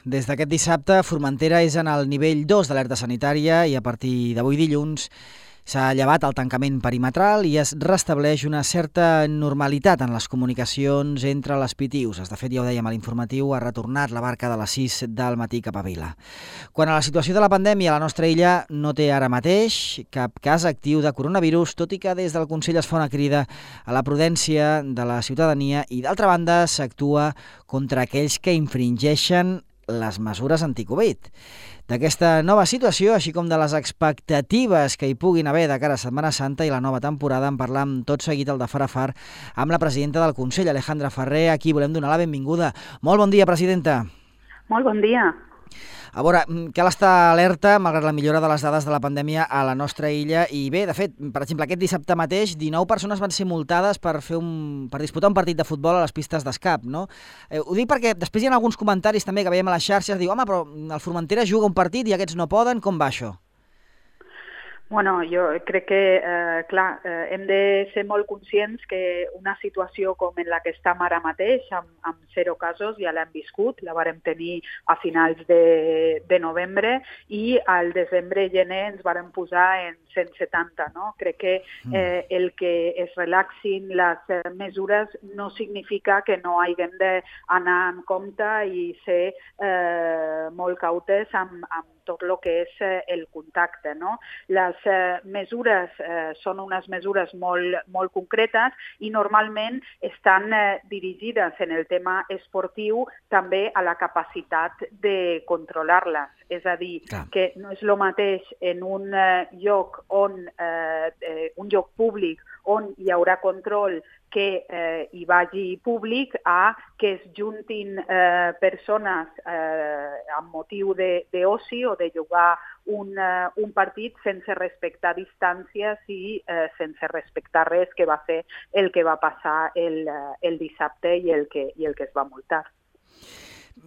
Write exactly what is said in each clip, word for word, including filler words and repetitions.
Des d'aquest dissabte, Formentera és en el nivell dos d'alerta sanitària i a partir d'avui dilluns s'ha llevat el tancament perimetral i es restableix una certa normalitat en les comunicacions entre les P T Us. De fet, ja ho dèiem a l'informatiu, ha retornat la barca de les sis del matí cap a Vila. Quant a la situació de la pandèmia, la nostra illa no té ara mateix cap cas actiu de coronavirus, tot i que des del Consell es fa una crida a la prudència de la ciutadania i, d'altra banda, s'actua contra aquells que infringeixen les mesures anticovid. D'aquesta nova situació, així com de les expectatives que hi puguin haver de cara a Setmana Santa i la nova temporada, en parlam tot seguit al de Far a Far amb la presidenta del Consell, Alejandra Ferrer, a qui volem donar la benvinguda. Molt bon dia, presidenta. Molt bon dia. A veure, cal estar alerta, malgrat la millora de les dades de la pandèmia a la nostra illa. I bé, de fet, per exemple, aquest dissabte mateix, dinou persones van ser multades per fer un, per disputar un partit de futbol a les pistes d'escap, no? Eh, ho dic perquè després hi ha alguns comentaris també que veiem a les xarxes, diu, home, però el Formentera juga un partit i aquests no poden, com va això? Bueno, jo crec que, eh, clar, eh, hem de ser molt conscients que una situació com en la que estem ara mateix, amb, amb zero casos, ja l'hem viscut, la vàrem tenir a finals de, de novembre i al desembre i gener ens vàrem posar en cent setanta, no? Crec que eh, el que es relaxin les eh, mesures no significa que no haguem d'anar en compte i ser eh, molt cautes amb, amb tot el que és eh, el contacte, no? Les eh, mesures eh, són unes mesures molt, molt concretes i normalment estan eh, dirigides en el tema esportiu també a la capacitat de controlar-les. És a dir, Clar. que no és el mateix en un eh, lloc on eh, eh, un lloc públic on hi haurà control que eh, hi vagi públic a que es juntin eh, persones eh, amb motiu d'oci o de jugar un, uh, un partit sense respectar distàncies i eh, sense respectar res, que va ser el que va passar el, uh, el dissabte i el, que, i el que es va multar.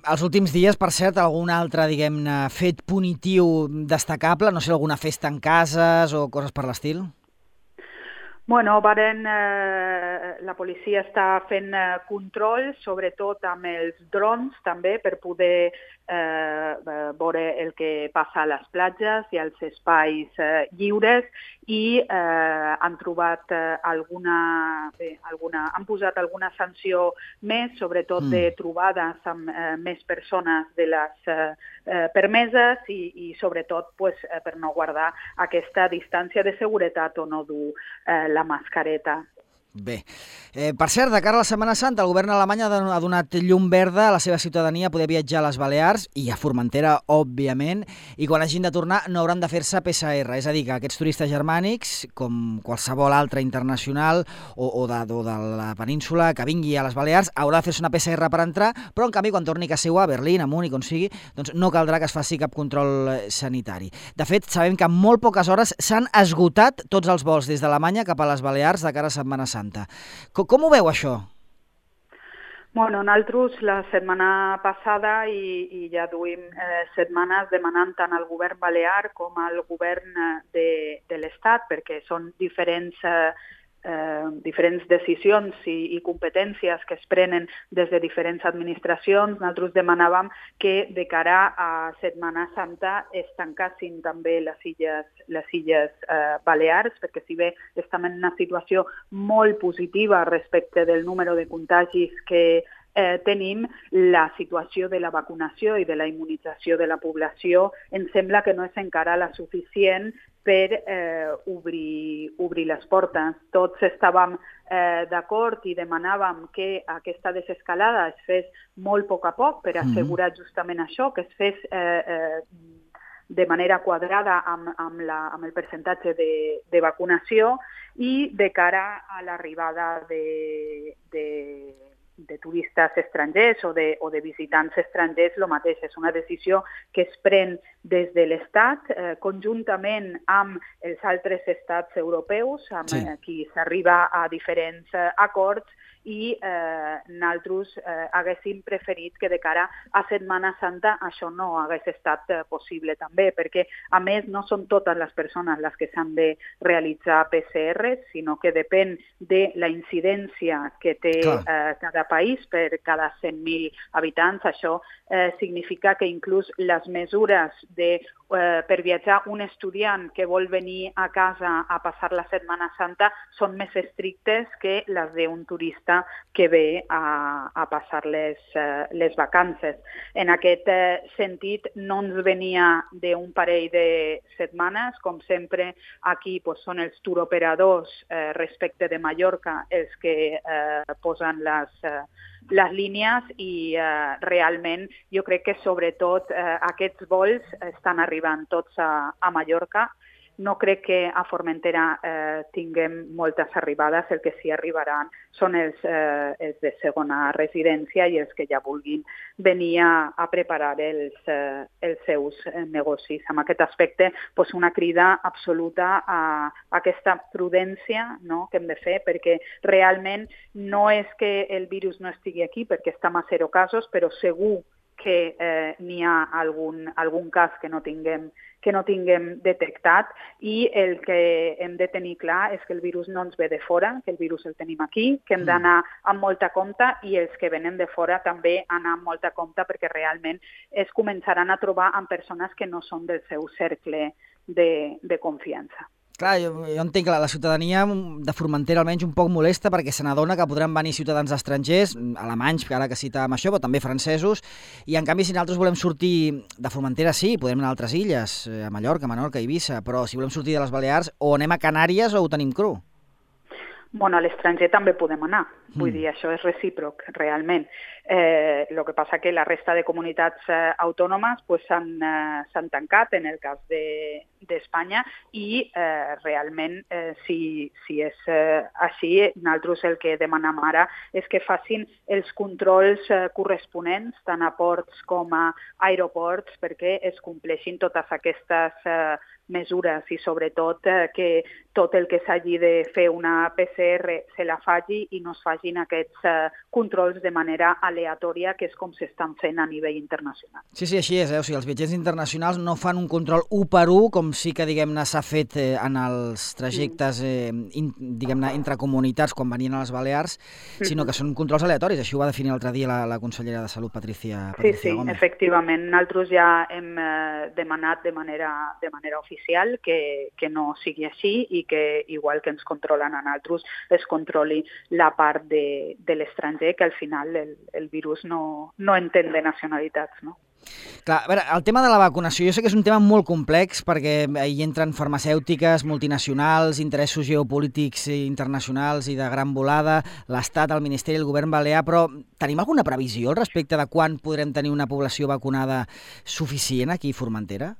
Els últims dies, per cert, algun altre, diguem-ne, fet punitiu destacable? No sé, alguna festa en cases o coses per l'estil? Bueno, varen, eh, la policia està fent eh, control, sobretot amb els drons també, per poder eh, veure el que passa a les platges i als espais eh, lliures i eh, han trobat eh, alguna, bé, alguna, han posat alguna sanció més, sobretot mm. de trobades amb eh, més persones de les eh, permeses i, i sobretot pues, eh, per no guardar aquesta distància de seguretat o no dur eh, la mascareta. Bé, eh, per cert, de cara a la Setmana Santa, el govern alemany ha donat llum verda a la seva ciutadania a poder viatjar a les Balears i a Formentera, òbviament, i quan hagin de tornar no hauran de fer-se P C R, és a dir, que aquests turistes germànics, com qualsevol altre internacional o, o, de, o de la península que vingui a les Balears, haurà de fer-se una P C R per entrar, però en canvi quan torni a casa seva, a Berlín, a Múnich, on sigui, doncs no caldrà que es faci cap control sanitari. De fet, sabem que en molt poques hores s'han esgotat tots els vols des d'Alemanya cap a les Balears de cara a Setmana Santa. Com, com ho veu, això? Bueno, nosaltres la setmana passada i, i ja duim eh, setmanes demanant tant al govern balear com al govern de, de l'Estat, perquè són diferents eh, Eh, diferents decisions i, i competències que es prenen des de diferents administracions. Nosaltres demanàvem que de cara a Setmana Santa es tancassin també les illes, les illes eh, Balears, perquè si bé estem en una situació molt positiva respecte del número de contagis que Eh, tenim, la situació de la vacunació i de la immunització de la població ens sembla que no és encara la suficient per eh, obrir, obrir les portes. Tots estàvem eh, d'acord i demanàvem que aquesta desescalada es fes molt a poc a poc per assegurar justament això, que es fes eh, eh, de manera quadrada amb, amb, la, amb el percentatge de, de vacunació i de cara a l'arribada de... de de turistes estrangers o de, o de visitants estrangers, el mateix. És una decisió que es pren des de l'Estat, eh, conjuntament amb els altres estats europeus, amb sí. eh, qui s'arriba a diferents eh, acords, i eh, nosaltres eh, haguéssim preferit que de cara a Setmana Santa això no hagués estat eh, possible també, perquè a més no són totes les persones les que s'han de realitzar P C R, sinó que depèn de la incidència que té eh, cada país per cada cent mil habitants. Això eh, significa que inclús les mesures de Eh, per viatjar un estudiant que vol venir a casa a passar la Setmana Santa són més estrictes que les d'un turista que ve a, a passar les, eh, les vacances. En aquest eh, sentit, no ens venia d'un parell de setmanes, com sempre aquí pues, són els turoperadors eh, respecte de Mallorca els que eh, posen les eh, les línies i eh, realment jo crec que sobretot eh, aquests vols estan arribant tots a, a Mallorca. No crec que a Formentera eh, tinguem moltes arribades, el que sí arribaran són els, eh, els de segona residència i els que ja vulguin venir a, a preparar els, eh, els seus eh, negocis. En aquest aspecte, pues, una crida absoluta a, a aquesta prudència, no?, que hem de fer, perquè realment no és que el virus no estigui aquí, perquè estem a zero casos, però segur que eh, n'hi ha algun, algun cas que no tinguem que no tinguem detectat, i el que hem de tenir clar és que el virus no ens ve de fora, que el virus el tenim aquí, que hem d'anar amb molta compte, i els que venen de fora també anar amb molta compte, perquè realment es començaran a trobar amb persones que no són del seu cercle de, de confiança. Clar, jo, jo entenc que la, la ciutadania de Formentera almenys un poc molesta perquè se n'adona que podran venir ciutadans estrangers, alemanys, ara que citàvem això, però també francesos, i en canvi si nosaltres volem sortir de Formentera sí, podem anar a altres illes, a Mallorca, Menorca, Eivissa, però si volem sortir de les Balears o anem a Canàries o ho tenim cru. Bueno, a l'estranger també podem anar, vull mm. dir, això és recíproc, realment. Eh, el que passa que la resta de comunitats eh, autònomes pues, s'han eh, tancat en el cas d'Espanya de, i eh, realment, eh, si, si és eh, així, nosaltres el que demanem ara és que facin els controls eh, corresponents, tant a ports com a aeroports, perquè es compleixin totes aquestes eh, mesures i sobretot eh, que tot el que s'hagi de fer una P C R se la faci i no es facin aquests eh, controls de manera aleatòria, que és com s'estan fent a nivell internacional. Sí, sí, així és. Eh? O sigui, els viatgers internacionals no fan un control u per u, com sí que diguem-ne s'ha fet eh, en els trajectes eh, in, diguem-ne entre comunitats quan venien a les Balears, sinó que són controls aleatoris. Així ho va definir l'altre dia la, la consellera de Salut, Patricia, Patricia sí, sí, Gómez. Efectivament. Nosaltres ja hem eh, demanat de manera, de manera oficial que, que no sigui així i que, igual que ens controlen a nosaltres, es controli la part de, de l'estranger, que al final el, el virus no, no entén de nacionalitats, no? Clar, a veure, el tema de la vacunació jo sé que és un tema molt complex perquè hi entren farmacèutiques, multinacionals, interessos geopolítics internacionals i de gran volada, l'Estat, el Ministeri, el govern balear, però tenim alguna previsió al respecte de quan podrem tenir una població vacunada suficient aquí a Formentera?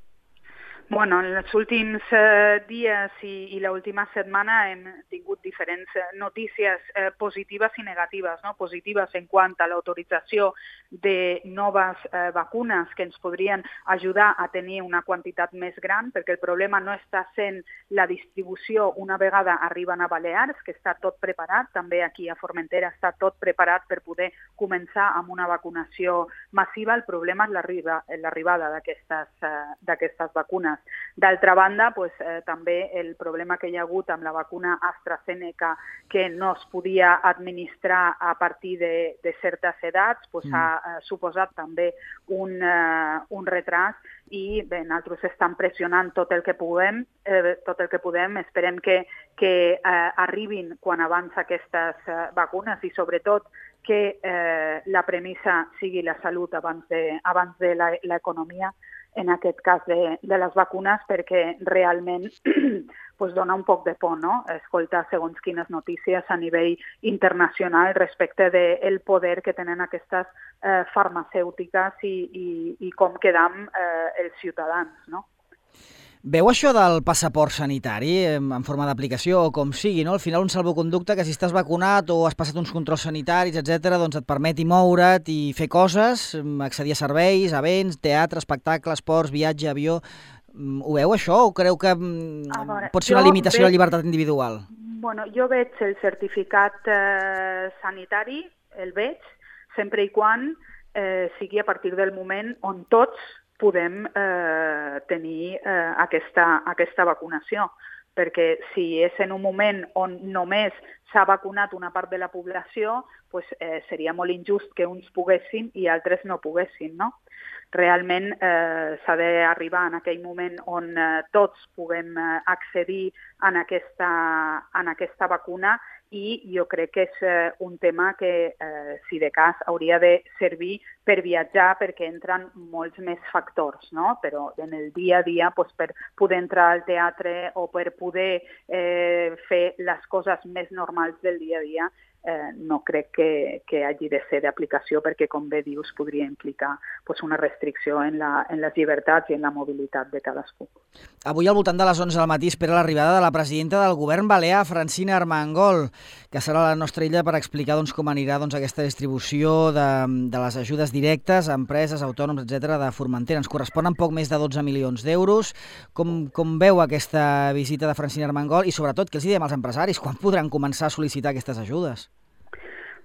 Bueno, en els últims eh, dies i, i l'última setmana hem tingut diferents notícies eh, positives i negatives, no? Positives en quant a l'autorització de noves eh, vacunes que ens podrien ajudar a tenir una quantitat més gran, perquè el problema no està sent la distribució una vegada arriben a Balears, que està tot preparat, també aquí a Formentera està tot preparat per poder començar amb una vacunació massiva. El problema és l'arribada d'aquestes eh, d'aquestes vacunes. D'altra banda, pues, eh, també el problema que hi ha hagut amb la vacuna AstraZeneca, que no es podia administrar a partir de, de certes edats, pues, mm. ha eh, suposat també un, eh, un retras, i bé, nosaltres estem pressionant tot el que puguem, eh, tot el que podem. Esperem que, que eh, arribin quan abans aquestes eh, vacunes i sobretot que eh, la premissa sigui la salut abans de, abans de l'economia, en aquest cas de, de les vacunes, perquè realment pues, dona un poc de por, no?, escoltar segons quines notícies a nivell internacional respecte del poder que tenen aquestes eh, farmacèutiques i, i, i com quedam eh, els ciutadans, no? Veu això del passaport sanitari en forma d'aplicació o com sigui, no? Al final un salvoconducte que si estàs vacunat o has passat uns controls sanitaris, etcètera, doncs et permeti moure't i fer coses, accedir a serveis, a béns, teatre, espectacle, esports, viatge, avió. Ho veu això o creu que veure, pot ser una limitació veig, de la llibertat individual? Bueno, jo veig el certificat eh, sanitari, el veig, sempre i quan eh, sigui a partir del moment on tots podem eh, tenir eh, aquesta, aquesta vacunació, perquè si és en un moment on només s'ha vacunat una part de la població, pues, eh, seria molt injust que uns poguessin i altres no poguessin, no? Realment eh, s'ha d'arribar en aquell moment on eh, tots puguem eh, accedir en aquesta, en aquesta vacuna i jo crec que és eh, un tema que, eh, si de cas, hauria de servir per viatjar perquè entren molts més factors, no? Però en el dia a dia, pues, per poder entrar al teatre o per poder eh, fer les coses més normals del dia a dia, Eh, no crec que, que hagi de ser d'aplicació perquè, com bé dius, podria implicar pues, una restricció en, la, en les llibertats i en la mobilitat de cadascú. Avui al voltant de les onze del matí espera l'arribada de la presidenta del govern balear, Francina Armengol, que serà a la nostra illa per explicar doncs, com anirà doncs, aquesta distribució de, de les ajudes directes a empreses, autònoms, etcètera de Formentera. Ens corresponen poc més de dotze milions d'euros. Com, com veu aquesta visita de Francina Armengol i, sobretot, què els diem als empresaris? Quan podran començar a sol·licitar aquestes ajudes?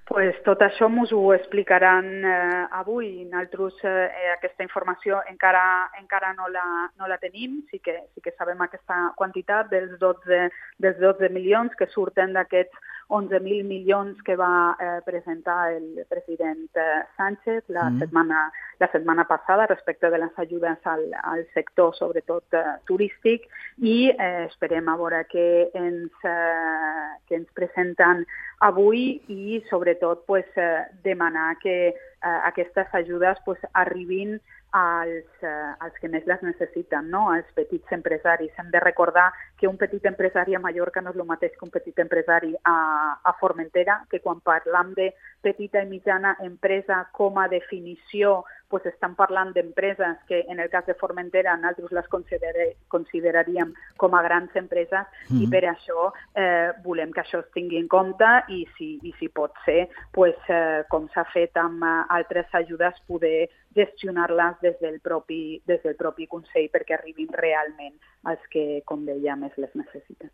Pues tot això ens ho explicaran eh, avui. Nosaltres eh, aquesta informació encara encara no la, no la tenim. Sí que, sí que sabem aquesta quantitat dels dotze, dels dotze milions que surten d'aquests onze mil milions que va eh, presentar el president eh, Sánchez la, mm. setmana, la setmana passada respecte de les ajudes al, al sector, sobretot eh, turístic, i eh, esperem a veure què ens, eh, que ens presenten avui i, sobretot, pues, eh, demanar que eh, aquestes ajudes pues, arribin als, eh, als que més les necessiten, no? Als petits empresaris. Hem de recordar que un petit empresari a Mallorca no és el mateix que un petit empresari a, a Formentera, que quan parlam de petita i mitjana empresa com a definició, pues estan parlant d'empreses que en el cas de Formentera nosaltres les consider consideraríem com a grans empreses mm-hmm. i per això eh, volem que això es tingui en compte i si, i si pot ser, pues, eh, com s'ha fet amb uh, altres ajudes, poder gestionar-les des del propi, des del propi Consell perquè arribin realment als que, com deia, més les necessiten.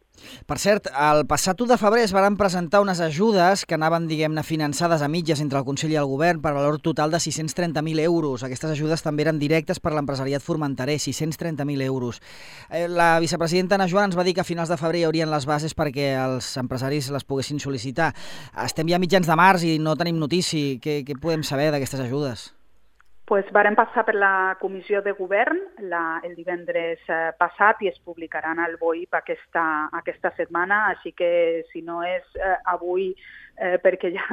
Per cert, el passat u de febrer es van presentar unes ajudes que anaven, diguem-ne, finançades a mitges entre el Consell i el Govern per valor total de sis-cents trenta mil euros. Aquestes ajudes també eren directes per l'empresariat formenterer, sis-cents trenta mil euros. La vicepresidenta Ana Joan ens va dir que a finals de febrer hi haurien les bases perquè els empresaris les poguessin sol·licitar. Estem ja a mitjans de març i no tenim notícia. Què, què podem saber d'aquestes ajudes? Pues varen passar per la comissió de govern la, el divendres eh, passat i es publicaran al B O I P aquesta, aquesta setmana, així que si no és eh, avui eh, perquè ja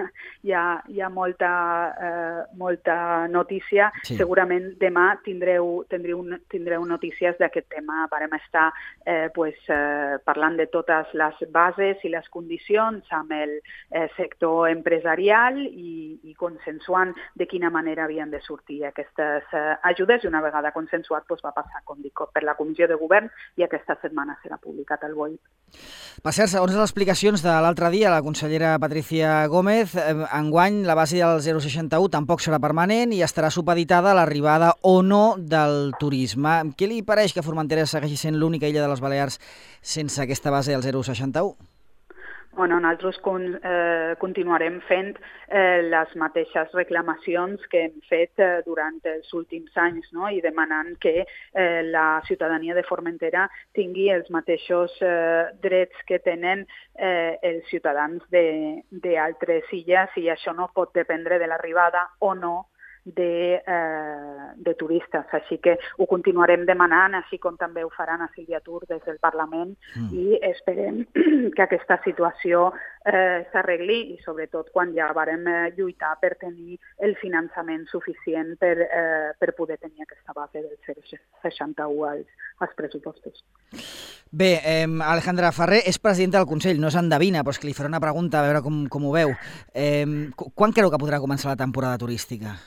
hi ha, hi ha molta, eh, molta notícia, sí. Segurament demà tindreu, tindreu, tindreu notícies d'aquest tema. Varem estar eh, pues, eh, parlant de totes les bases i les condicions amb el eh, sector empresarial i, i consensuant de quina manera havien de sortir aquestes eh, ajudes i una vegada consensuat pues, va passar, com dic, per la comissió de govern i aquesta setmana serà publicat al B O I P. Per cert, segons les explicacions de l'altre dia, la consellera Patricia Gómez, eh, enguany la base del zero coma seixanta-u tampoc serà permanent i estarà supeditada a l'arribada o no del turisme. Què li pareix que Formentera segueixi sent l'única illa de les Balears sense aquesta base del zero coma seixanta-u? Bueno, nosaltres con, eh, continuarem fent eh, les mateixes reclamacions que hem fet eh, durant els últims anys, no? I demanant que eh, la ciutadania de Formentera tingui els mateixos eh, drets que tenen eh, els ciutadans d'altres illes i això no pot dependre de l'arribada o no De, eh, de turistes, així que ho continuarem demanant, així com també ho faran a Sílvia Tur des del Parlament mm. i esperem que aquesta situació eh, s'arregli i sobretot quan ja varem eh, lluitar per tenir el finançament suficient per, eh, per poder tenir aquesta base del zero coma seixanta-u als, als pressupostos. Bé, eh, Alejandra Ferrer és presidenta del Consell, no s'endevina, però és que li faré una pregunta a veure com, com ho veu. Eh, quan creu que podrà començar la temporada turística?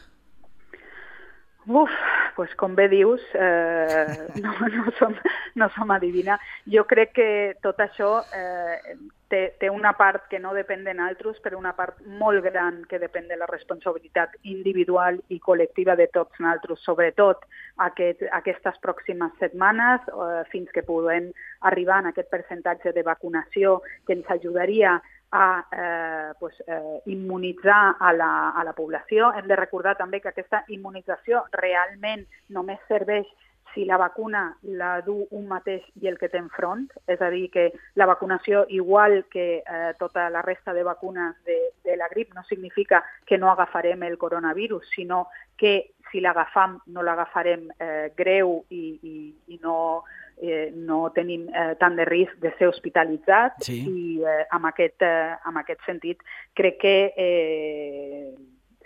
Uf, pues com bé dius, eh, no, no, som, no som adivina. Jo crec que tot això eh, té, té una part que no depèn de nosaltres, però una part molt gran que depèn de la responsabilitat individual i col·lectiva de tots nosaltres, sobretot aquest, aquestes pròximes setmanes, eh, fins que podem arribar en aquest percentatge de vacunació que ens ajudaria a eh, pues, eh, immunitzar a la, a la població. Hem de recordar també que aquesta immunització realment només serveix si la vacuna la du un mateix i el que té enfront, és a dir, que la vacunació, igual que eh, tota la resta de vacunes de, de la grip, no significa que no agafarem el coronavirus, sinó que si l'agafam no l'agafarem eh, greu i, i, i no... Eh, no tenim eh, tant de risc de ser hospitalitzats sí. i eh, amb, aquest, eh, amb aquest sentit crec que eh,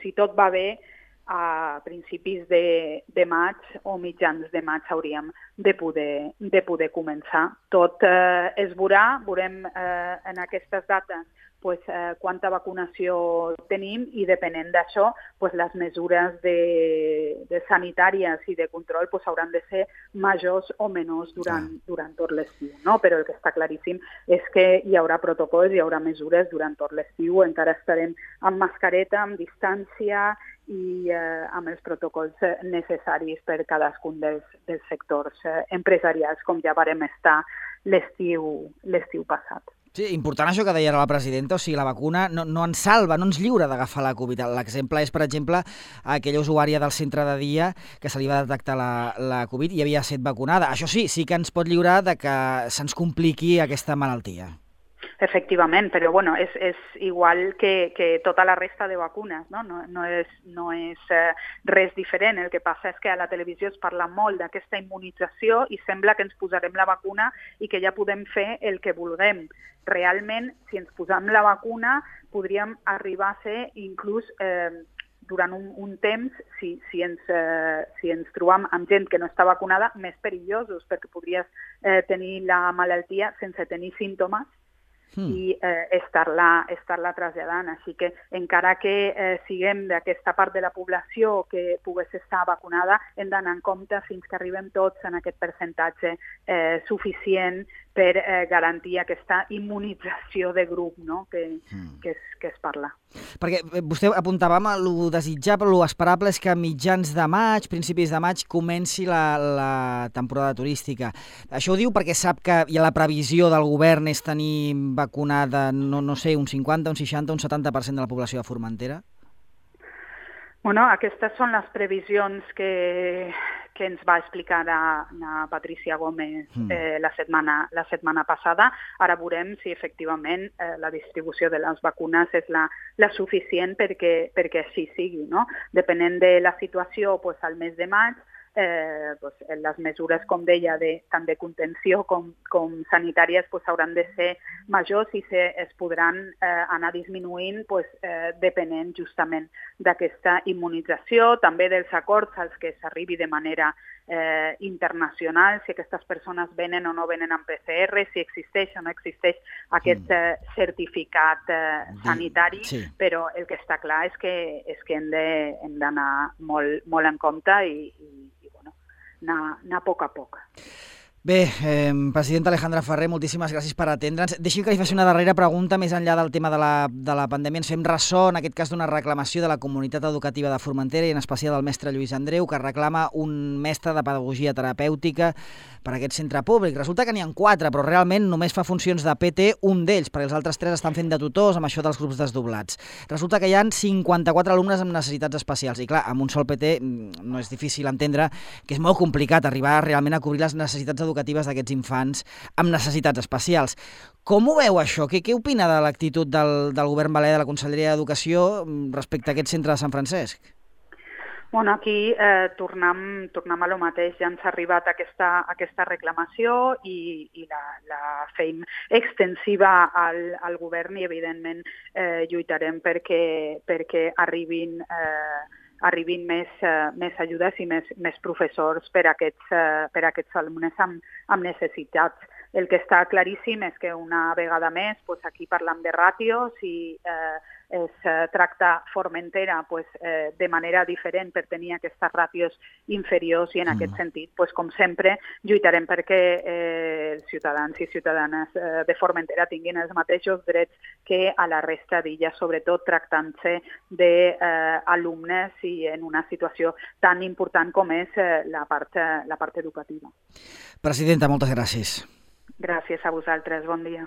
si tot va bé a principis de, de maig o mitjans de maig hauríem de poder, de poder començar. Tot eh, es veurà, veurem eh, en aquestes dates pues, eh, quanta vacunació tenim i depenent d'això pues, les mesures de, de sanitàries i de control pues, hauran de ser majors o menors durant, ah. durant tot l'estiu. No? Però el que està claríssim és que hi haurà protocols, hi haurà mesures durant tot l'estiu, encara estarem amb mascareta, amb distància i eh, amb els protocols necessaris per cadascun dels, dels sectors eh, empresarials, com ja varem estar l'estiu l'estiu passat. Sí, important això que deia ara la presidenta, o sigui, la vacuna no, no ens salva, no ens lliura d'agafar la Covid. L'exemple és, per exemple, aquella usuària del centre de dia que se li va detectar la, la Covid i havia estat vacunada. Això sí, sí que ens pot lliurar de que se'ns compliqui aquesta malaltia. Efectivament, però bueno, és, és igual que, que tota la resta de vacunes, no, no, no és, no és eh, res diferent. El que passa és que a la televisió es parla molt d'aquesta immunització i sembla que ens posarem la vacuna i que ja podem fer el que vulguem. Realment, si ens posam la vacuna, podríem arribar a ser inclús eh, durant un, un temps, si, si, ens, eh, si ens trobam amb gent que no està vacunada, més perillosos, perquè podries eh, tenir la malaltia sense tenir símptomes Mm. i eh, estar-la estar-la traslladant. Així que encara que eh, siguem d'aquesta part de la població que pogués estar vacunada, hem d'anar en compte fins que arribem tots en aquest percentatge eh, suficient per eh, garantir aquesta immunització de grup, no? que, mm. que, es, que es parla. Perquè vostè apuntava amb el desitjable, el esperable és que a mitjans de maig, principis de maig, comenci la, la temporada turística. Això ho diu perquè sap que hi ha la previsió del govern és tenir vacunada, no, no sé, un cinquanta, un seixanta, un setanta per cent de la població de Formentera? Bueno, aquestes són les previsions que, que ens va explicar la, la Patricia Gómez eh, la, setmana, la setmana passada. Ara veurem si efectivament eh, la distribució de les vacunes és la, la suficient perquè, perquè així sigui. No? Depenent de la situació, pues, al mes de maig, Eh, pues, les mesures, com deia, de, tant de contenció com, com sanitàries pues, hauran de ser majors i se, es podran eh, anar disminuint pues, eh, depenent justament d'aquesta immunització, també dels acords als que s'arribi de manera eh, internacional, si aquestes persones venen o no venen amb P C R, si existeix o no existeix aquest eh, certificat eh, sanitari, sí. Però el que està clar és que, és que hem d'anar molt, molt en compte i, i anar, anar a poc a poc. Bé, eh, presidenta Alejandra Ferrer, moltíssimes gràcies per atendre'ns. Deixi'm que li faci una darrera pregunta, més enllà del tema de la, de la pandèmia. Ens fem ressò, en aquest cas, d'una reclamació de la comunitat educativa de Formentera i en especial del mestre Lluís Andreu, que reclama un mestre de pedagogia terapèutica per a aquest centre públic. Resulta que n'hi ha quatre, però realment només fa funcions de P T un d'ells, perquè els altres tres estan fent de tutors amb això dels grups desdoblats. Resulta que hi ha cinquanta-quatre alumnes amb necessitats especials i, clar, amb un sol P T no és difícil entendre que és molt complicat arribar realment a cobrir les necessitats educatives educatives d'aquests infants amb necessitats especials. Com ho veu això? Què, què opina de l'actitud del, del govern balear, de la Conselleria d'Educació respecte a aquest centre de Sant Francesc? Bueno, aquí eh, tornem, tornem a lo mateix. Ja ens ha arribat aquesta, aquesta reclamació i, i la, la fem extensiva al, al govern i, evidentment, eh, lluitarem perquè, perquè arribin... Eh, arribin més, uh, més ajudes i més, més professors per a aquests, uh, per a aquests alumnes amb, amb necessitats. el que està claríssim és que una vegada més pues, aquí parlam de ràtios i eh, es eh, tracta Formentera pues, eh, de manera diferent per tenir aquestes ràtios inferiors i en mm. aquest sentit, pues, com sempre, lluitarem perquè eh, els ciutadans i ciutadanes eh, de Formentera tinguin els mateixos drets que a la resta d'illes, sobretot tractant-se d'alumnes eh, i en una situació tan important com és eh, la, part, eh, la part educativa. Presidenta, moltes gràcies. Gràcies a vosaltres, bon dia.